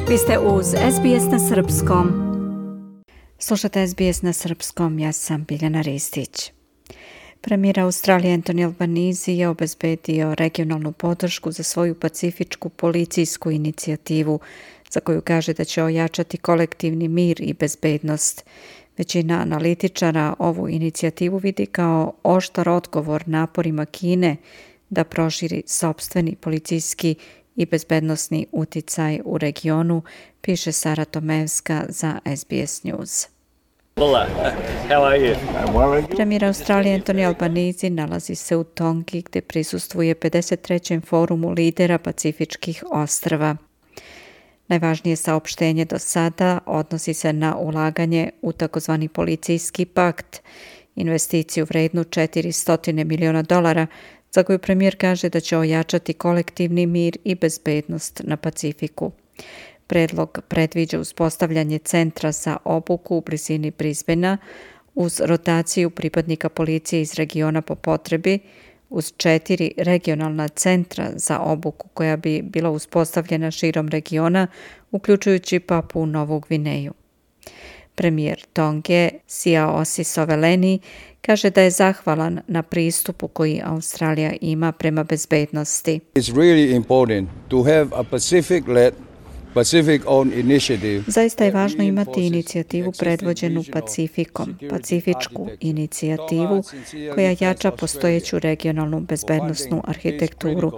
Vi ste uz SBS na srpskom. Slušate SBS na srpskom, ja sam Biljana Ristić. Premijer Australije Anthony Albanese je obezbedio regionalnu podršku za svoju pacifičku policijsku inicijativu, za koju kaže da će ojačati kolektivni mir i bezbednost. Većina analitičara ovu inicijativu vidi kao oštar odgovor naporima Kine da proširi sopstveni policijski i bezbednosni uticaj u regionu, piše Sara Tomevska za SBS News. Premijer Australije Anthony Albanese nalazi se u Tongi gdje prisustvuje 53. forumu lidera pacifičkih ostrva. Najvažnije saopštenje do sada odnosi se na ulaganje u takozvani policijski pakt, investiciju vrednu $400 miliona, za koju premijer kaže da će ojačati kolektivni mir i bezbednost na Pacifiku. Predlog predviđa uspostavljanje centra za obuku u blizini Brisbanea uz rotaciju pripadnika policije iz regiona po potrebi, uz 4 regionalna centra za obuku koja bi bila uspostavljena širom regiona, uključujući Papuu Novu Gvineju. Premijer Tonge Siaosi Soveleni kaže da je zahvalan na pristupu koji Australija ima prema bezbednosti. Zaista je važno imati inicijativu predvođenu Pacifikom, pacifičku inicijativu koja jača postojeću regionalnu bezbednosnu arhitekturu.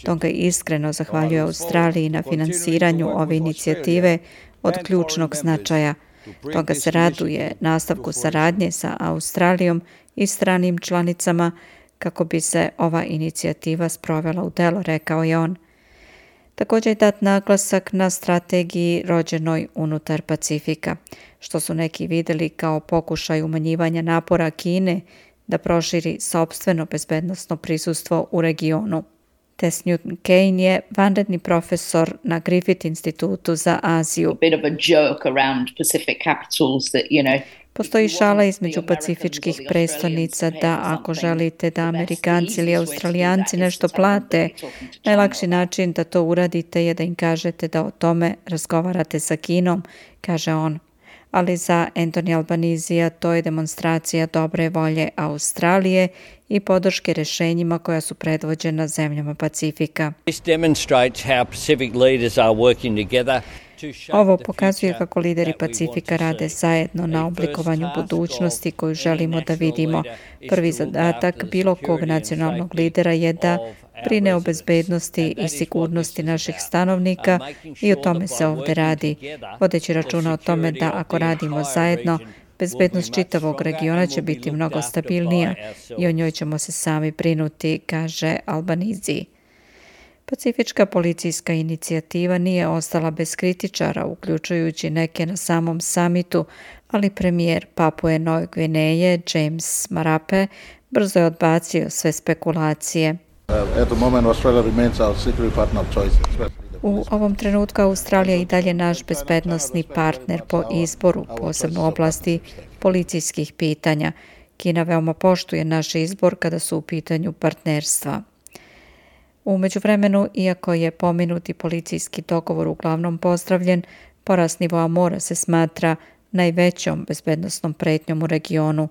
Tonga iskreno zahvaljuje Australiji na finansiranju ove inicijative od ključnog značaja. Tonga se raduje nastavku saradnje sa Australijom i stranim članicama kako bi se ova inicijativa sprovela u delo, rekao je on. Također je dat naglasak na strategiji rođenoj unutar Pacifika, što su neki vidjeli kao pokušaj umanjivanja napora Kine da proširi sopstveno bezbednosno prisustvo u regionu. Tess Newton Kane je vanredni profesor na Griffith institutu za Aziju. Postoji šala između pacifičkih prestolnica da ako želite da Amerikanci ili Australijanci nešto plate, najlakši način da to uradite je da im kažete da o tome razgovarate sa Kinom, kaže on. Ali za Anthony Albanesea to je demonstracija dobre volje Australije i podrške rješenjima koja su predvođena zemljama Pacifika. Ovo pokazuje kako lideri Pacifika rade zajedno na oblikovanju budućnosti koju želimo da vidimo. Prvi zadatak bilo kog nacionalnog lidera je da brine o bezbednosti i sigurnosti naših stanovnika i o tome se ovdje radi, vodeći računa o tome da ako radimo zajedno, bezbednost čitavog regiona će biti mnogo stabilnija i o njoj ćemo se sami brinuti, kaže Albanese. Pacifička policijska inicijativa nije ostala bez kritičara, uključujući neke na samom samitu, ali premijer Papue Nove Gvineje James Marape brzo je odbacio sve spekulacije. U ovom trenutku Australija i dalje naš bezbednosni partner po izboru, posebno u oblasti policijskih pitanja. Kina veoma poštuje naš izbor kada su u pitanju partnerstva. U međuvremenu, iako je pomenuti policijski dogovor uglavnom pozdravljen, porast nivoa mora se smatra najvećom bezbednosnom pretnjom u regionu.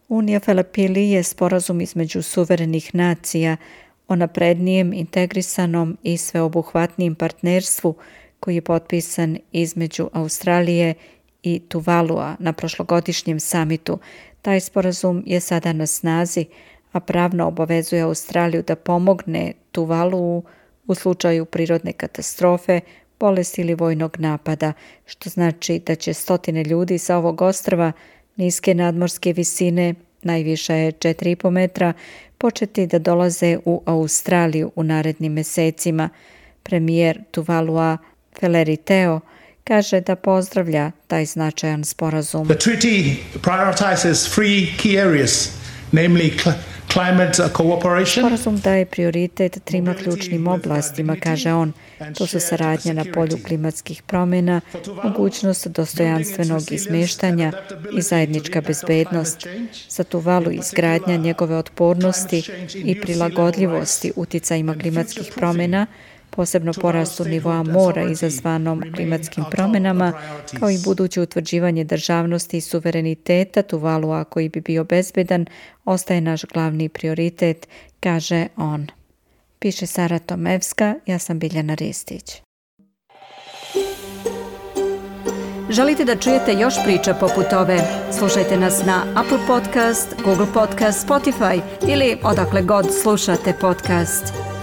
Unija Filipili je sporazum između suverenih nacija o naprednijem, integrisanom i sveobuhvatnijem partnerstvu koji je potpisan između Australije i Tuvalua na prošlogodišnjem samitu. Taj sporazum je sada na snazi, a pravno obavezuje Australiju da pomogne Tuvaluu u slučaju prirodne katastrofe, bolesti ili vojnog napada, što znači da će stotine ljudi sa ovog ostrva niske nadmorske visine, najviša je 4,5 metra, početi da dolaze u Australiju u narednim mesecima. Premijer Tuvalua Feleri Teo kaže da pozdravlja taj značajan sporazum. The treaty prioritizes 3 key areas, namely Sporazum daje prioritet 3 ključnim oblastima, kaže on. To su saradnja na polju klimatskih promjena, mogućnost dostojanstvenog izmeštanja i zajednička bezbednost. Za Tuvalu izgradnja njegove otpornosti i prilagodljivosti uticajima klimatskih promjena, posebno porastu nivoa mora izazvanom klimatskim promjenama, kao i buduće utvrđivanje državnosti i suvereniteta Tuvalua koji bi bio bezbedan, ostaje naš glavni prioritet, kaže on. Piše Sara Tomevska, ja sam Biljana Ristić. Želite da čujete još priča poput ove? Slušajte nas na Apple Podcast, Google Podcast, Spotify ili odakle god slušate podcast.